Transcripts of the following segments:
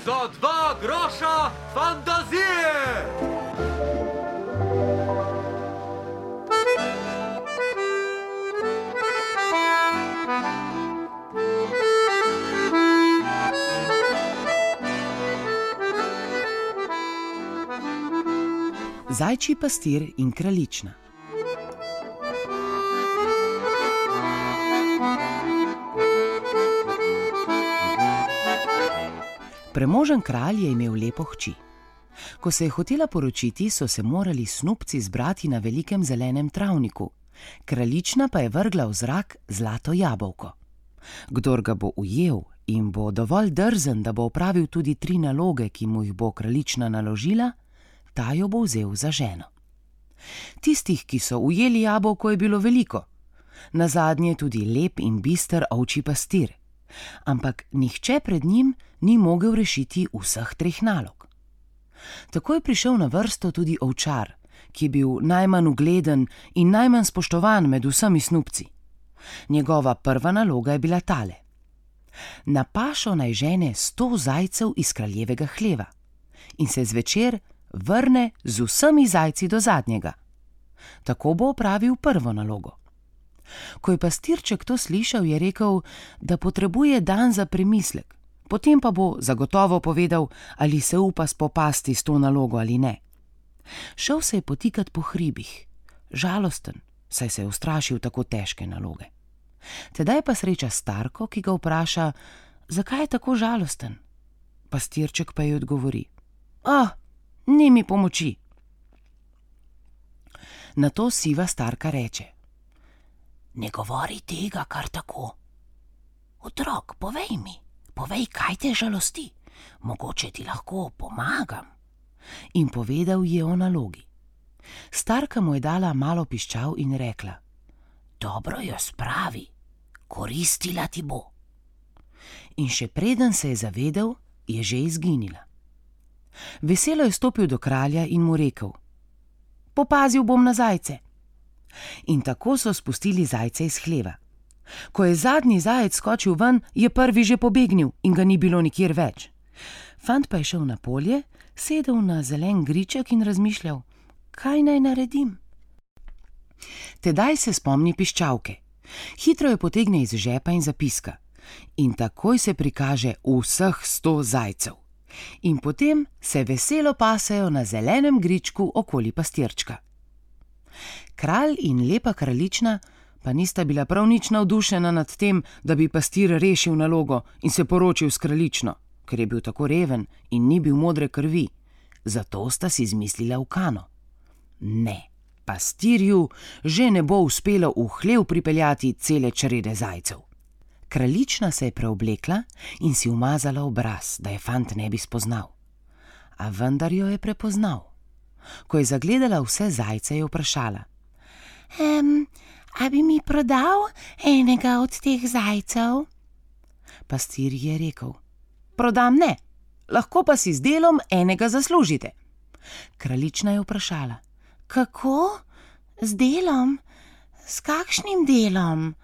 Za 2 groša fantazije! Zajčji pastir in kraljična. Premožen kralj je imel lepo hči. Ko se je hotela poročiti, so se morali snupci zbrati na velikem zelenem travniku, kraljična pa je vrgla v zrak zlato jabolko. Kdor ga bo ujel in bo dovolj drzen, da bo opravil tudi 3 naloge, ki mu jih bo kraljična naložila, ta jo bo vzel za ženo. Tistih, ki so ujeli jabolko, je bilo veliko, nazadnje tudi lep in bister ovčji pastir, ampak nihče pred njim ni mogel rešiti vseh 3 nalog. Tako je prišel na vrsto tudi ovčar, ki je bil najmanj ugleden in najmanj spoštovan med vsemi snupci. Njegova prva naloga je bila tale: na pašo naj žene 100 zajcev iz kraljevega hleva in se zvečer vrne z vsemi zajci do zadnjega. Tako bo opravil prvo nalogo. Ko je pastirček to slišal, je rekel, da potrebuje dan za premislek, potem pa bo zagotovo povedal, ali se upa spopasti s to nalogo ali ne. Šel se je potikat po hribih, žalosten, saj se je ustrašil tako težke naloge. Tedaj pa sreča starko, ki ga vpraša, zakaj je tako žalosten. Pastirček pa ji odgovori: ni mi pomoči. Nato siva starka reče: ne govori tega kar tako. Otrok, povej, kaj te žalosti, mogoče ti lahko pomagam. In povedal je o nalogi. Starka mu je dala malo piščal in rekla: dobro jo spravi, koristila ti bo. In še preden se je zavedel, je že izginila. Veselo je stopil do kralja in mu rekel: popazil bom na zajce. In tako so spustili zajce iz hleva. Ko je zadnji zajec skočil ven, je prvi že pobegnil in ga ni bilo nikjer več. Fant pa je šel na polje, sedel na zelen griček in razmišljal, kaj naj naredim. Tedaj se spomni piščalke. Hitro jo potegne iz žepa in zapiska. In takoj se prikaže vseh 100 zajcev. In potem se veselo pasejo na zelenem gričku okoli pastirčka. Kralj in lepa kraljična pa nista bila prav nič navdušena nad tem, da bi pastir rešil nalogo in se poročil s kraljično, ker je bil tako reven in ni bil modre krvi. Zato sta si izmislila ukano. Ne, pastirju že ne bo uspelo v hlev pripeljati cele črede zajcev. Kraljična se je preoblekla in si umazala obraz, da je fant ne bi spoznal. A vendar jo je prepoznal. Ko je zagledala vse zajce, je vprašala: a bi mi prodal enega od teh zajcev? Pastir je rekel: prodam ne, lahko pa si z delom enega zaslužite. Kraljična je vprašala: kako? Z delom? S kakšnim delom?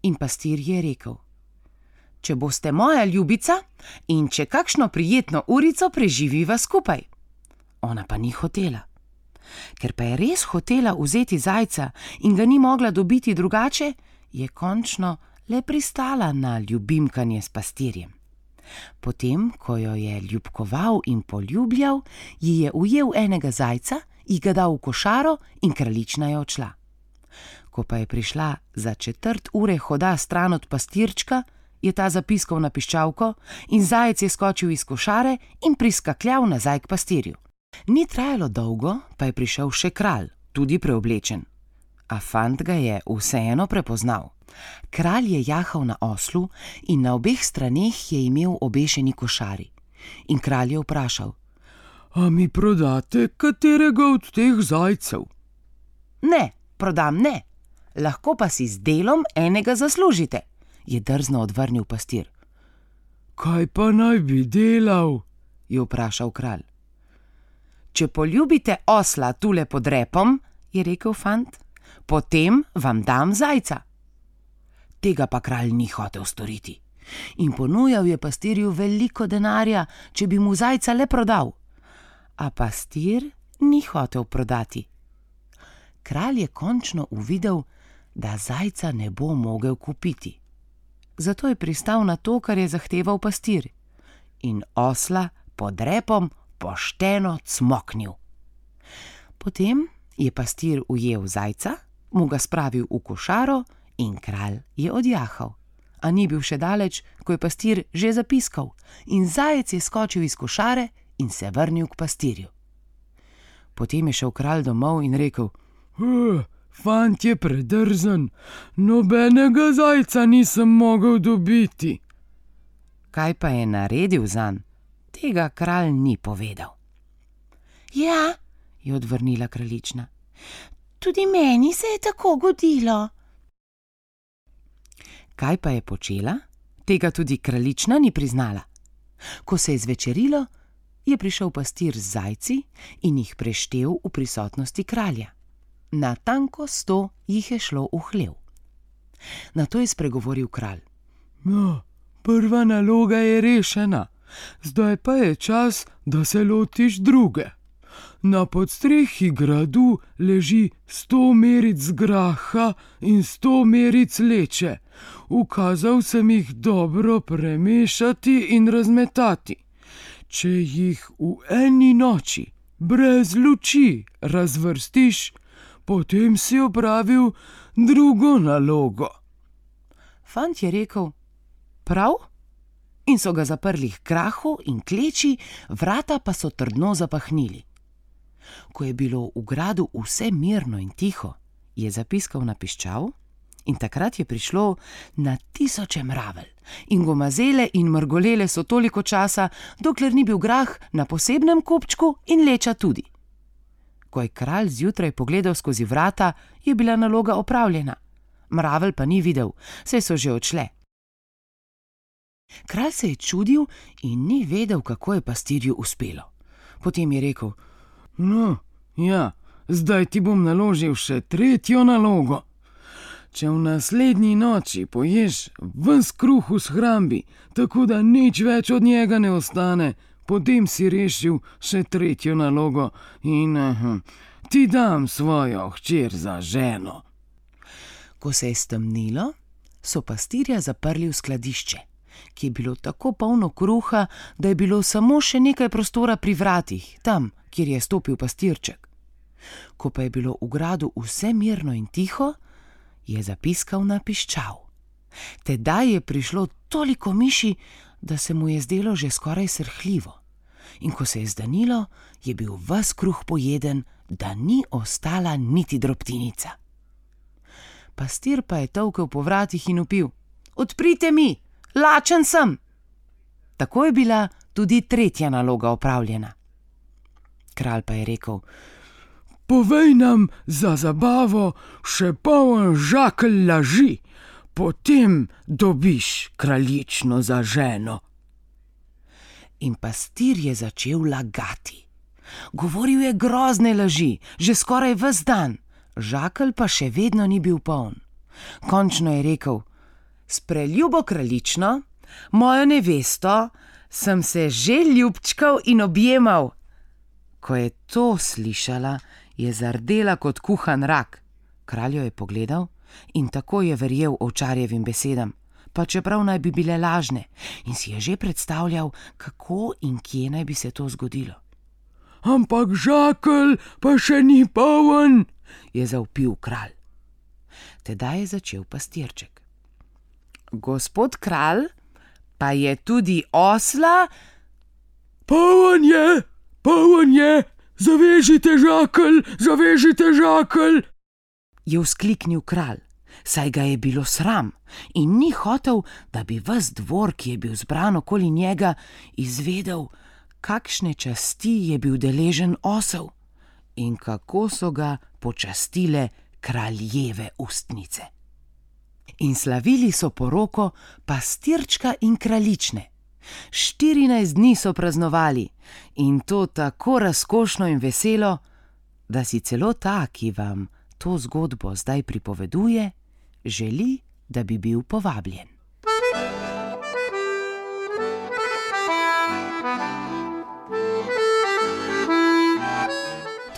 In pastir je rekel: če boste moja ljubica in če kakšno prijetno urico preživiva skupaj. Ona pa ni hotela. Ker pa je res hotela vzeti zajca in ga ni mogla dobiti drugače, je končno le pristala na ljubimkanje s pastirjem. Potem, ko jo je ljubkoval in poljubljal, ji je ujel enega zajca, ji ga dal v košaro in kraljična je odšla. Ko pa je prišla za 1/4 ure hoda stran od pastirčka, je ta zapiskal na piščalko in zajec je skočil iz košare in priskakljal nazaj k pastirju. Ni trajalo dolgo, pa je prišel še kralj, tudi preoblečen. A fant ga je vseeno prepoznal. Kralj je jahal na oslu in na obeh straneh je imel obešeni košari. In kralj je vprašal: a mi prodate katerega od teh zajcev? Ne, prodam ne, lahko pa si z delom enega zaslužite, je drzno odvrnil pastir. Kaj pa naj bi delal? Je vprašal kralj. Če poljubite osla tule pod repom, je rekel fant, potem vam dam zajca. Tega pa kralj ni hotel storiti in ponujal je pastirju veliko denarja, če bi mu zajca le prodal. A pastir ni hotel prodati. Kralj je končno uvidel, da zajca ne bo mogel kupiti. Zato je pristal na to, kar je zahteval pastir, in osla pod repom pošteno cmoknil. Potem je pastir ujel zajca, mu ga spravil v košaro in kralj je odjahal. A ni bil še daleč, ko je pastir že zapiskal, in zajec je skočil iz košare in se vrnil k pastirju. Potem je šel kralj domov in rekel: Fant je predrzen, nobenega zajca nisem mogel dobiti. Kaj pa je naredil zanj, tega kralj ni povedal. Ja, je odvrnila kraljična, tudi meni se je tako godilo. Kaj pa je počela, tega tudi kraljična ni priznala. Ko se je zvečerilo, je prišel pastir z zajci in jih preštel v prisotnosti kralja. Natanko 100 jih je šlo v hlev. Nato je spregovoril kralj: No, prva naloga je rešena, zdaj pa je čas, da se lotiš druge. Na podstrehi gradu leži 100 meric graha in 100 meric leče. Ukazal sem jih dobro premešati in razmetati. Če jih v eni noči brez luči razvrstiš, potem si opravil drugo nalogo. Fant je rekel: Prav? In so ga zaprli h grahu in k leči, vrata pa so trdno zapahnili. Ko je bilo v gradu vse mirno in tiho, je zapiskal na piščal, in takrat je prišlo na tisoče mravelj, in gomazele in mrgolele so toliko časa, dokler ni bil grah na posebnem kupčku in leča tudi. Ko je kralj zjutraj pogledal skozi vrata, je bila naloga opravljena. Mravelj pa ni videl, saj so že odšle. Kralj se je čudil in ni vedel, kako je pastirju uspelo. Potem je rekel: No, ja, zdaj ti bom naložil še tretjo nalogo. Če v naslednji noči poješ ves kruh v shrambi, tako da nič več od njega ne ostane, potem si rešil še tretjo nalogo in ti dam svojo hčer za ženo. Ko se je stemnilo, so pastirja zaprli v skladišče, ki je bilo tako polno kruha, da je bilo samo še nekaj prostora pri vratih, tam, kjer je stopil pastirček. Ko pa je bilo v gradu vse mirno in tiho, je zapiskal na piščal. Tedaj je prišlo toliko miši, da se mu je zdelo že skoraj srhljivo. In ko se je zdanilo, je bil ves kruh pojeden, da ni ostala niti drobtinica. Pastir pa je tolkel po vratih in vpil: Odprite mi, lačen sem! Tako je bila tudi tretja naloga opravljena. Kralj pa je rekel: Povej nam za zabavo še poln žakelj laži, potem dobiš kraljično za ženo. In pastir je začel lagati. Govoril je grozne laži, že skoraj ves dan, žakelj pa še vedno ni bil poln. Končno je rekel: S preljubo kraljično, mojo nevesto, sem se že ljubčkal in objemal. Ko je to slišala, je zardela kot kuhan rak. Kralj jo je pogledal in tako je verjel ovčarjevim besedam, pa čeprav naj bi bile lažne, in si je že predstavljal, kako in kje naj bi se to zgodilo. Ampak žakelj pa še ni poln, je zavpil kralj. Tedaj je začel pastirček: Gospod kralj, pa je tudi osla? Poln je, zavežite žakelj, je vzkliknil kralj, saj ga je bilo sram in ni hotel, da bi ves dvor, ki je bil zbran okoli njega, izvedel, kakšne časti je bil deležen osel in kako so ga počastile kraljeve ustnice. In slavili so poroko pastirčka in kraljične. 14 dni so praznovali, in to tako razkošno in veselo, da si celo ta, ki vam to zgodbo zdaj pripoveduje, želi, da bi bil povabljen.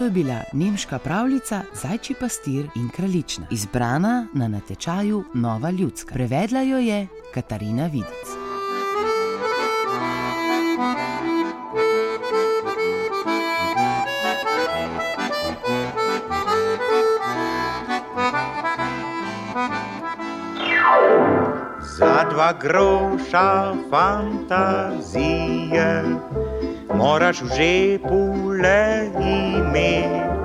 To je bila nemška pravljica Zajčji pastir in kraljična, izbrana na natečaju Nova ljudska. Prevedla jo je Katarina Vidic. Za 2 groša fantazije moraš v žepu le imeti.